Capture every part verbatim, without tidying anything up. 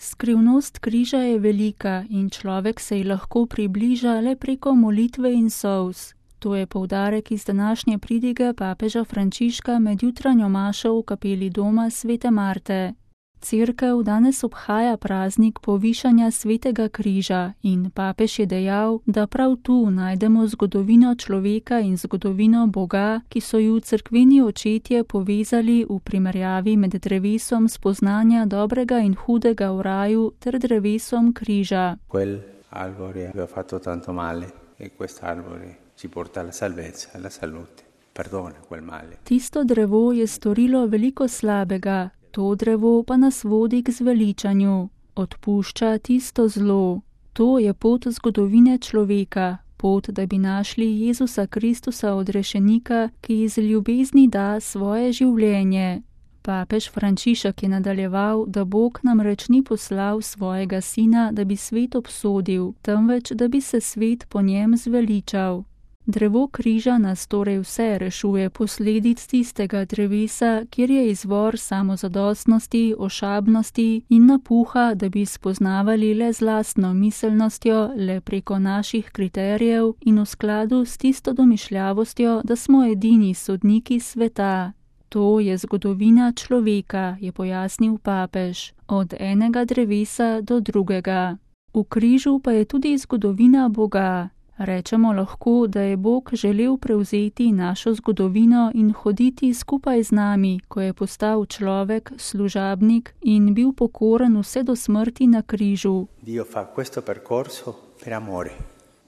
Skrivnost križa je velika in človek se ji lahko približa le preko molitve in solz. To je poudarek iz današnje pridige papeža Frančiška med jutranjo mašo v kapeli doma svete Marte. Cerkev danes obhaja praznik povišanja svetega križa in papež je dejal, da prav tu najdemo zgodovino človeka in zgodovino Boga, ki so ju cerkveni očetje povezali v primerjavi med drevesom spoznanja dobrega in hudega v raju ter drevesom križa. Quel albore aveva fatto tanto male e quest'albore ci porta alla salvezza, alla salute. Perdona quel male. Tisto drevo je storilo veliko slabega. To drevo pa nas vodi k zveličanju, odpušča tisto zlo. To je pot zgodovine človeka, pot, da bi našli Jezusa Kristusa odrešenika, ki iz ljubezni da svoje življenje. Papež Frančišek je nadaljeval, da Bog namreč ni poslal svojega sina, da bi svet obsodil, temveč, da bi se svet po njem zveličal. Drevo križa nas torej vse rešuje posledic tistega drevesa, kjer je izvor samozadostnosti, ošabnosti in napuha, da bi spoznavali le z lastno miselnostjo, le preko naših kriterijev in v skladu s tisto domišljavostjo, da smo edini sodniki sveta. To je zgodovina človeka, je pojasnil papež, od enega drevesa do drugega. V križu pa je tudi zgodovina Boga. Rečemo lahko, da je Bog želel prevzeti našo zgodovino in hoditi skupaj z nami, ko je postal človek, služabnik in bil pokoren vse do smrti na križu. Dio fa questo percorso per amore,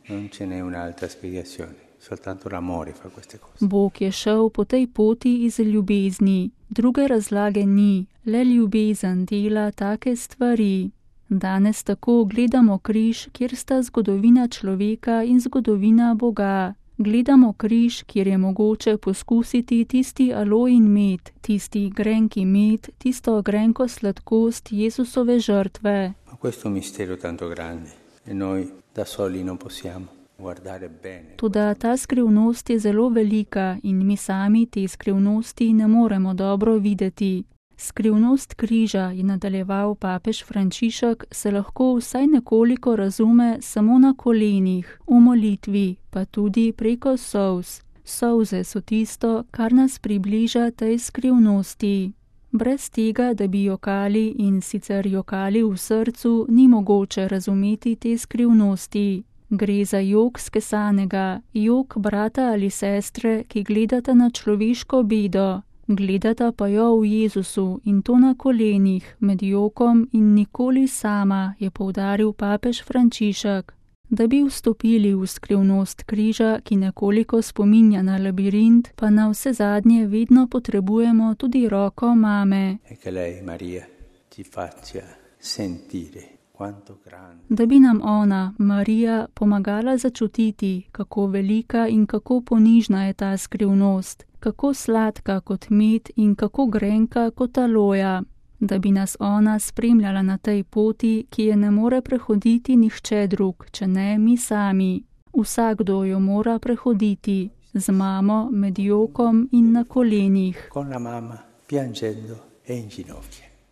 non ce n'è un'altra spiegazione, soltanto l'amore fa queste cose. Bog je šel po tej poti iz ljubezni, druge razlage ni, le ljubezen dela take stvari. Danes tako gledamo križ, kjer sta zgodovina človeka in zgodovina Boga. Gledamo križ, kjer je mogoče poskusiti tisti alojin med, tisti grenki med, tisto grenko sladkost Jezusove žrtve. Ma questo mistero tanto grande e noi da soli non possiamo guardare bene. Toda ta skrivnost je zelo velika in mi sami te skrivnosti ne moremo dobro videti. Skrivnost križa, je nadaljeval papež Frančišek, se lahko vsaj nekoliko razume samo na kolenih, v molitvi, pa tudi preko solz. Solze so tisto, kar nas približa tej skrivnosti. Brez tega, da bi jokali in sicer jokali v srcu, ni mogoče razumeti te skrivnosti. Gre za jok skesanega, jok brata ali sestre, ki gledata na človeško bedo. Gledata pa jo v Jezusu in to na kolenih, med jokom in nikoli sama, je poudaril papež Frančišek. Da bi vstopili v skrivnost križa, ki nekoliko spominja na labirint, pa na vse zadnje vedno potrebujemo tudi roko mame. E lei, Maria, ci faccia sentire quanto grande. Da bi nam ona, Marija, pomagala začutiti, kako velika in kako ponižna je ta skrivnost, kako sladka kot med in kako grenka kot aloja. Da bi nas ona spremljala na tej poti, ki je ne more prehoditi nihče drug, če ne mi sami. Vsakdo jo mora prehoditi, z mamo, med jokom in na kolenih. Con la mamma, piangendo e in ginocchio.